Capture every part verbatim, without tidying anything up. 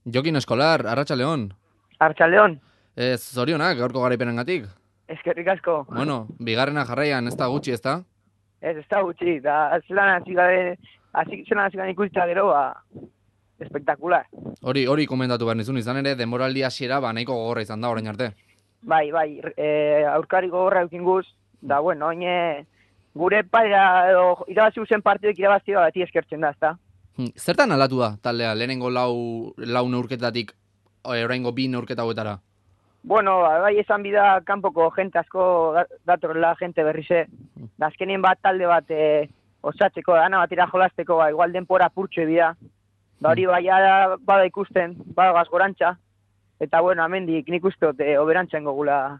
Jokin Eskolar, Arratsaldeon. Arratsaldeon. Ez, zorionak gaurko garaipenengatik. Eskerrik asko. Bueno, bigarrena jarraian ez da gutxi, ez da? Ez, ez da gutxi, da zelan hasi gabe, hasi zelan hasi gabe ikusita gero, ba, espektakular. Hori, hori komentatu behar nizun, izan ere, denboraldi hasiera ba nahiko gogorra izan da orain arte. Bai, bai, e, aurkari gogorra eukin guz, da, bueno, oine, gure paira, edo, irabazi guzen partidek irabazi bati eskertzen da, ezta? Hm, Zertan aldatu da, taldea, lehenengo lau, lau neurketatik, e, oraingo bi neurketa hauetara? Bueno, ba, bai esan bida kanpoko jente asko da- datorrela jente berrize, da azkenien bat talde bat e, osatzeko, dana batera jolasteko, ba, igual denpora purtsu bida, da hori bai ara bada ikusten, bada gazgorantza, eta bueno, amendik nik uste dut e, oberantzan gogula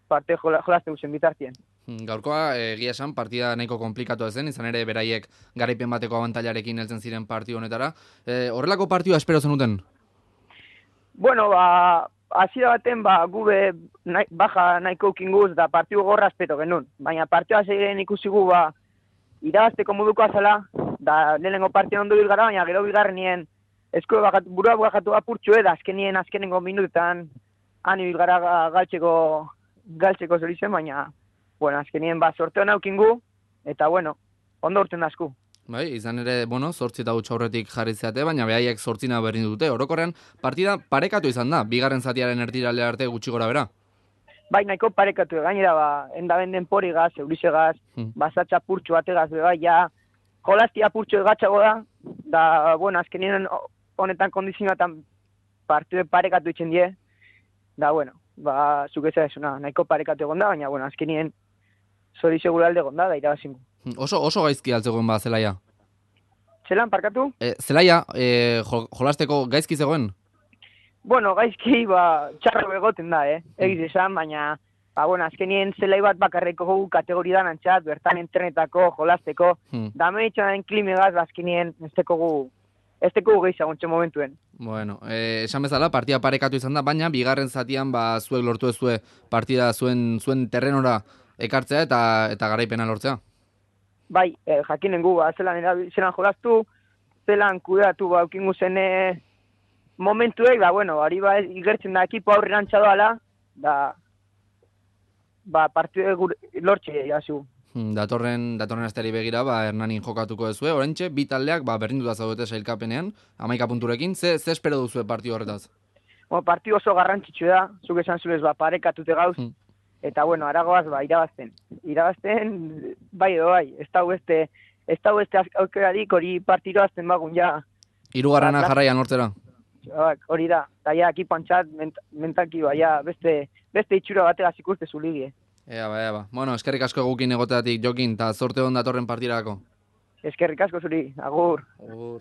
parte jola, jolaste guzen bitartien. Hm, Gaurkoa, eh, egia esan, partida nahiko komplikatu zen, izan ere beraiek garaipen bateko abantailarekin heltzen ziren partidu honetara. E, horrelako partidua espero zenuten? Bueno, ba, hasiera baten, ba, gube nahi, baja nahiko ukinguz, da partidu gorra espero genuen. Baina partidua zeiren ikusi gu, ba, irabazteko moduko azala, da lehenengo partidu ondo bilgara, baina gero bigarrenien esko bakatu, burua bakatu apurtxu da azkenien azkenengo minutetan han ibilgara ga- galtzeko, galtzeko zorizen, baina, bueno, azkenien ba, sorteo naukingu, eta bueno, ondo urten dasku. Bai, izan ere, bueno, zortzi eta huts aurretik jarri zeate, baina behaiek zortzina berdin dute. Orokorrean, partida parekatu izan da, bigarren zatiaren erdirale arte gutxi gora bera. Bai, nahiko parekatu, gainera, ba, endaben denporigaz, eurizegaz, Hmm. basatxa purtsu bategaz, bai, ja, jolaztia purtsu egatxago da, da, bueno, azkenien honetan kondizioetan partidu parekatu itzen die, da, bueno, ba, zuk ez esuna, nahiko parekatu egon da, baina, bueno, azkenien zori seguralde egon da, da irabazingu. Oso, oso gaizki altzegoen ba zelaia. Zelan, parkatu? E, zelaia, e, jo, jolasteko gaizki zegoen? Bueno, gaizki, ba, txarro egoten da, eh? Egiz esan, baina, ba, bueno, azkenien zelai bat bakarreko gu kategoridan antxat, bertan entrenetako, jolasteko, Hmm. da menitxan den klimegaz, ba, azkenien ez teko gu, ez teko gu gehiagontxe momentuen. Bueno, e, esan bezala, partida parekatu izan da, baina bigarren zatian ba zuek lortu ezue partida zuen zuen terrenora ekartzea eta eta garaipena lortzea. Bai, eh, jakinen gu, ba, zelan, erabil- zelan jolastu, zelan kudeatu, ba, eukingu zen eh, momentuek, da, bueno, hori ba, igertzen da ekipo aurrerantza doala, da, ba, partidu gure, lortxe, jasu. Hmm, Datorren datorren asteari begira ba Hernanin jokatuko duzue. Oraintxe bi taldeak ba berdinduta zaudete sailkapenean, hamaika punturekin. Ze ze espero duzue partidu horretaz? Bueno, partidu oso garrantzitsu da, zuk esan zurez, ba, parekatute gauz, Hmm. eta, bueno, aragoaz, ba, irabazten. Irabazten, bai edo bai, ez da beste, ez da beste aukerarik hori partidu azten bagun, ja, Hirugarrena Ba, jarraian lortzera. Ba, hori da, eta ja, ekipantzat, ment, mentalki, ba, ja, beste, beste itxura bategaz ikuste zuligie. Ea ba, ea ba. Bueno, eskerrik asko gukin egoteatik Jokin, eta zorte on datorren partidarako. Eskerrik asko zuri, agur. Agur.